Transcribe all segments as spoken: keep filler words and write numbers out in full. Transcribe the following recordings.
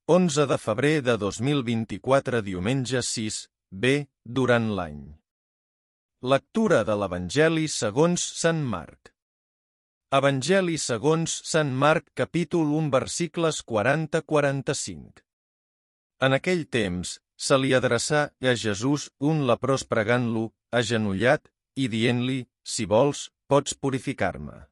onze de febrer de dos mil vint-i-quatre, diumenge sis B, durant l'any. Lectura de l'Evangeli segons Sant Marc. Evangeli segons Sant Marc, capítol u, versicles quaranta a quaranta-cinc. En aquell temps, se li adreçà a Jesús un leprós pregant-lo, agenollat, i dient-li, si vols, pots purificar-me.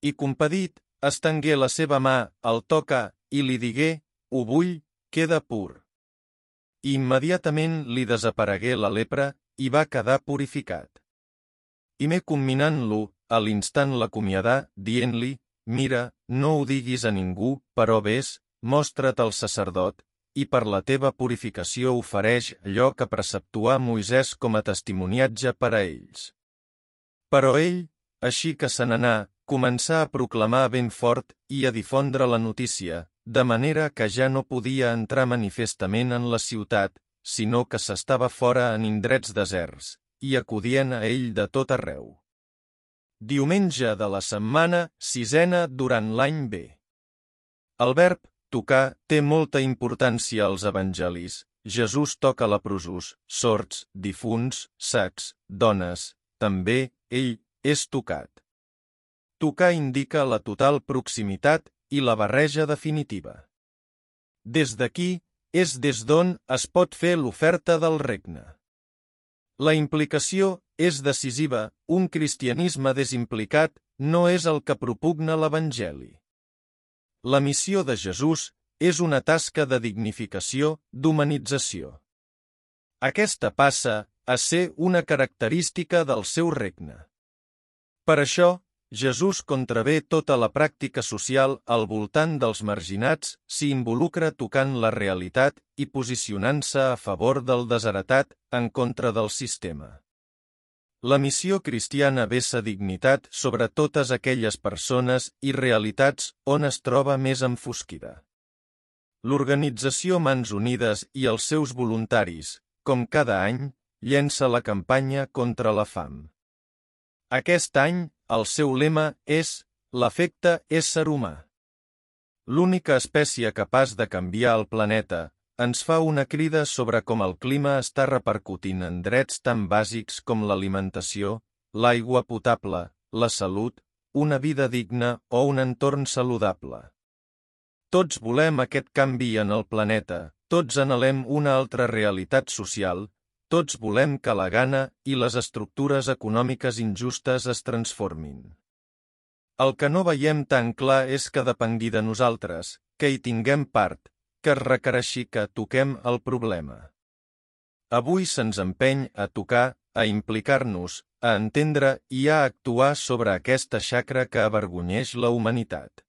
I compadit, estengué la seva mà, el tocà, i li digué, ho vull, queda pur. I immediatament li desaparegué la lepra, i va quedar purificat. I me comminant-lo, a l'instant l'acomiadà, dient-li, mira, no ho diguis a ningú, però ves, mostra't al sacerdot, i per la teva purificació ofereix allò que preceptuà Moisès com a testimoniatge per a ells. Però ell, així que se n'anà, començà a proclamar ben fort i a difondre la notícia, de manera que ja no podia entrar manifestament en la ciutat, sinó que s'estava fora en indrets deserts, i acudien a ell de tot arreu. Diumenge de la setmana sisena durant l'any B. El verb tocar té molta importància als evangelis. Jesús toca leprosos, sords, difunts, sacs, dones. També, ell, és tocat. Tocar indica la total proximitat i la barreja definitiva. Des d'aquí, és des d'on es pot fer l'oferta del regne. La implicació és decisiva, un cristianisme desimplicat no és el que propugna l'Evangeli. La missió de Jesús és una tasca de dignificació, d'humanització. Aquesta passa a ser una característica del seu regne. Per això, Jesús contravé tota la pràctica social al voltant dels marginats, s'hi involucra tocant la realitat i posicionant-se a favor del desheretat en contra del sistema. La missió cristiana vessa dignitat sobre totes aquelles persones i realitats on es troba més enfosquida. L'organització Mans Unides i els seus voluntaris, com cada any, llença la campanya contra la fam. Aquest any, el seu lema és l'efecte ésser humà. L'única espècie capaç de canviar el planeta ens fa una crida sobre com el clima està repercutint en drets tan bàsics com l'alimentació, l'aigua potable, la salut, una vida digna o un entorn saludable. Tots volem aquest canvi en el planeta, tots anhelem una altra realitat social, tots volem que la gana i les estructures econòmiques injustes es transformin. El que no veiem tan clar és que depengui de nosaltres, que hi tinguem part, que es requereixi que toquem el problema. Avui se'ns empeny a tocar, a implicar-nos, a entendre i a actuar sobre aquesta xacra que avergonyeix la humanitat.